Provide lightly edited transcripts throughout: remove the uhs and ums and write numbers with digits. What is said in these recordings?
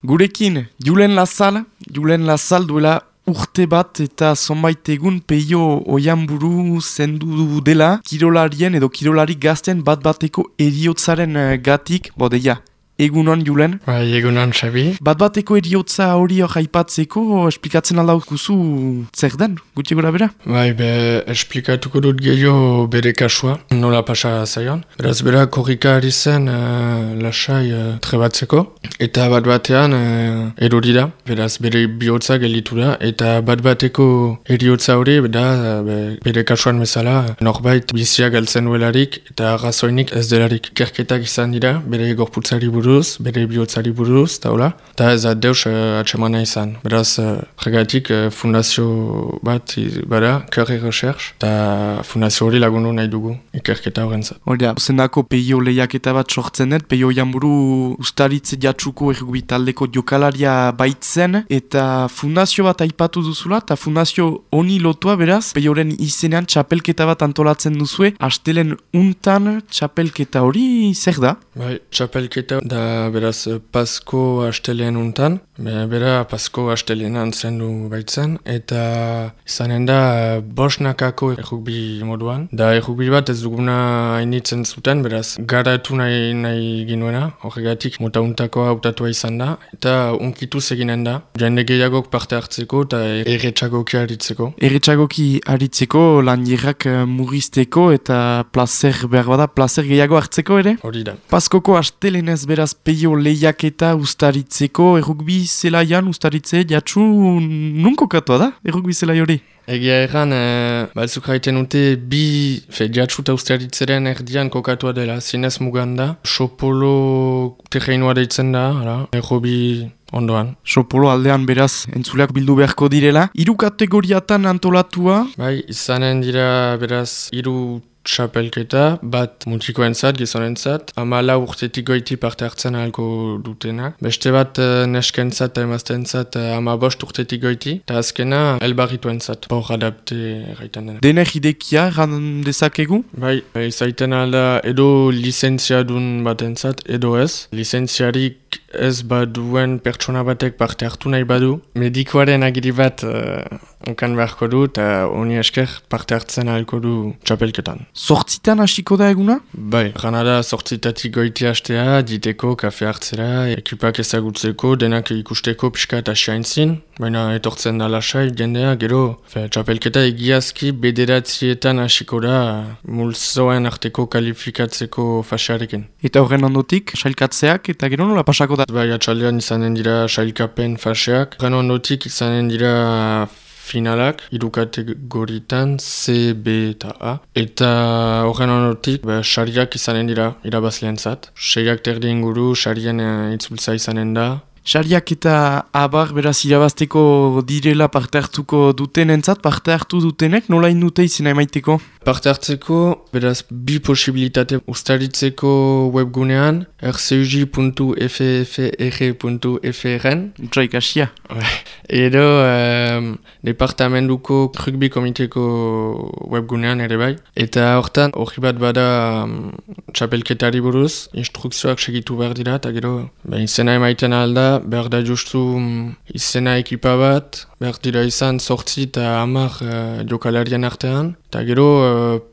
Gurekin, Julen Lazal duela urte bat eta zonbait egun peio oianburu zendu dela kirolarien edo kirolari gazten bat-bateko eriotzaren gatik, bodeia. Egunon, Julen? Bai, egunon, Xabi. Bat-bateko eriotza hori aipatzeko, esplikatzen aldaukuzu zer den, gutxi gora bera? Bai, esplikatuko dut gehiago bere kasua, nola pasa zaion. Beraz, bera korrika ari zen lasai trebatzeko, eta bat-batean erori da, beraz, bere bihotza gelditu da, eta bat-bateko eriotza hori, bere kasuan bezala, norbait bizia galtzen duelarik, eta arrazoinik ez delarik. Ikerketak izan dira, bere gorputzari buruz, bere bihotzari buruz, eta ez da deus atsemana izan. Beraz, regatik fundazio bat bada, Curry Recherche, eta fundazio hori lagundu nahi dugu, ikerketa horrentzat. Hora, zendako peio lehiaketa bat sortzen dut, peio janburu ustaritze jatsuko errugbi taldeko jokalaria baitzen, eta fundazio bat aipatu duzula, eta fundazio honi lotua beraz, peioren izenean txapelketa bat antolatzen duzue, astelen untan txapelketa hori zer da? Bai, txapelketa da beraz Pasko astelean untan, bera Pasko astelean zendu baitzen, eta izanen da bosnakako errugbi moduan. Da errugbi bat ez duguna hainitzen zuten, beraz garatu nahi ginuena, horregatik mota untakoa hautatua izan da, eta unkituz eginen da, jende gehiagok parte hartzeko eta erretxagoki aritzeko. Erretxagoki aritzeko, lan jirrak murrizteko eta placer behar bada, placer gehiago hartzeko ere? Hori da. Paskoko astelenez beraz peio lehiaketa ustaritzeko, errugbi zelaian ustaritze jatsu nunko katoa da, errugbi zelai hori? Egia erran, batzuk haiten dute jatsu eta ustaritzeren erdian kokatua dela, zinez muganda, Sopolo terreinua deitzen da, errugbi ondoan. Sopolo aldean beraz entzuleak bildu beharko direla. 3 kategoriatan antolatua? Bai, izanen dira beraz 3 txapelketa, bat mutikoentzat, gizonentzat, 14 urtetik goiti parte hartzen ahalko dutenak. Beste bat neskentzat eta emaztentzat 15 urtetik goiti, eta azkena elbarrituentzat, hor adapte erraiten dena. Denek idekia erran dezakegu? Bai, izaiten alda edo lizentziadun batentzat, edo ez. Lizentziarik ez baduen pertsona batek parte hartu nahi badu. Medikoaren agiri bat onkan beharko du, eta honi esker parte hartzen ahalko du txapelketan. Zortzitan hasiko da eguna? Bai, gana da zortzitatik goiti hastea, diteko, kafe hartzera, ekipak ezagutzeko, denak ikusteko pixka eta xaintzin, baina etortzen da lasai, jendea, gero, txapelketa egiazki bederatzietan hasiko da multzoen arteko kalifikatzeko fasearekin. Eta horren ondotik, sailkatzeak eta gero nola pasako da? Bai, atxaldean izanen dira sailkapen faseak, horren ondotik izanen dira finalak, 3 kategoritan, C, B eta A. Eta horren ondotik, sariak izanen dira irabazleentzat. 6 terdi inguru, sarien itzultza izanen da. Sariak eta abar beraz irabazteko direla parte hartuko dutenentzat, parte hartu dutenek nola indute izena emaiteko? Parte hartzeko, beraz, 2 posibilitate ustaritzeko webgunean, rcuj.ffr.frn. Utsaik asia. Edo, departamentuko rugby komiteko webgunean ere bai. Eta hortan, hori bat bada txapelketari buruz, instrukzioak segitu behar dira, eta gero, izena emaiten alda, behar da justu izena ekipa bat, behar dira izan 8 eta 10 jokalarien artean, eta gero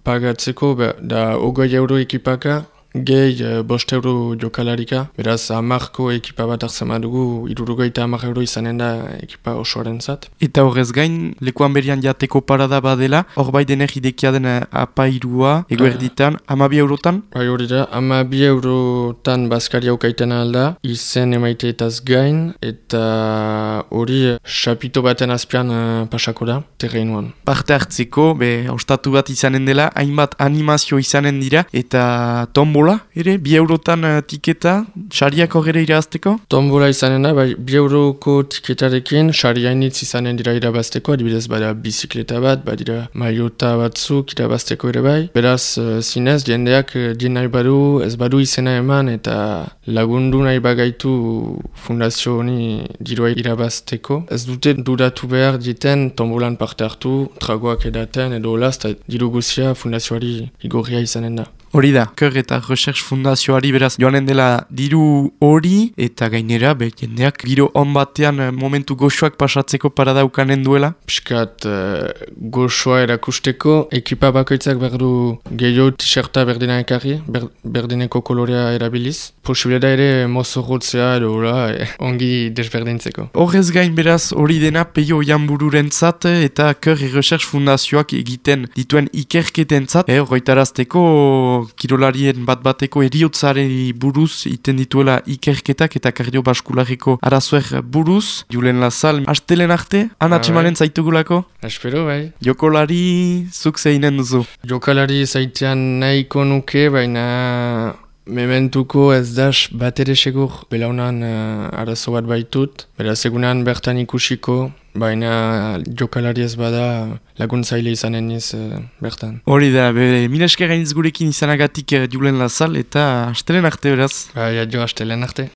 pagatzeko da 20 euro ekipaka, gehi 5 euro jokalarika, beraz 10ko ekipa bat hartzen badugu, 70 euro izanen da ekipa osoaren zat. Eta horrez gain, lekuan berian jateko parada badela, hor bai dener idekia den apairua, eguerditan, 12 eurotan? Bai hori da, 12 eurotan bazkaria ukaiten alda, izen emaiteetaz gain, eta hori xapito baten azpian pasako da, terreinuan. Parte hartzeko, ostatu bat izanen dela, hainbat animazio izanen dira, eta tombola ere, 2 eurotan tiketa, sariak horre irabazteko? Tombola izanen da, 2 euroko tiketarekin, sariainitz izanen dira irabazteko, adibidez bada bizikleta bat, badira maiota batzuk irabazteko ere bai. Beraz, zinez, jendeak dien nahi badu, ez badu izena eman, eta lagundu nahi bagaitu fundazio honi dirua irabazteko. Ez dute dudatu behar diten tombolan parte hartu, tragoak edaten, edo olaz, eta diru guzia fundazioari igorria izanen da. Hori da, Kör eta Recherche Fundazioari beraz joanen dela diru hori eta gainera jendeak giro on batean momentu goxoak pasatzeko paradaukanen duela. Piskat goxoa erakusteko, ekipa bakoitzak berdu gehiago t-shirta berdina ekarri, berdineko kolorea erabiliz. Posibilera ere mozorrotzea edo ongi desberdintzeko. Horrez gain beraz hori dena Peio Oianbururentzat eta Kör Recherche Fundazioak egiten dituen ikerketentzat. Horretarazteko kirolarien bat-bateko eriotzari buruz iten dituela ikerketak eta kardiobaskulariko arazoer buruz. Julen Lazal, astelen arte, anatxemanen zaitugulako? Espero, bai. Jokolari zuk zeinen duzu? Jokalari zaitean nahiko nuke, baina mementuko ez das bat ere segur belaunan arazo bat baitut. Beraz egunan bertan ikusiko, baina jokalari ez bada laguntzaile izanen iz bertan. Hori da, mila esker gainiz gurekin izanagatik Julen Lazal eta astelen arte beraz. Bai, adio astelen arte.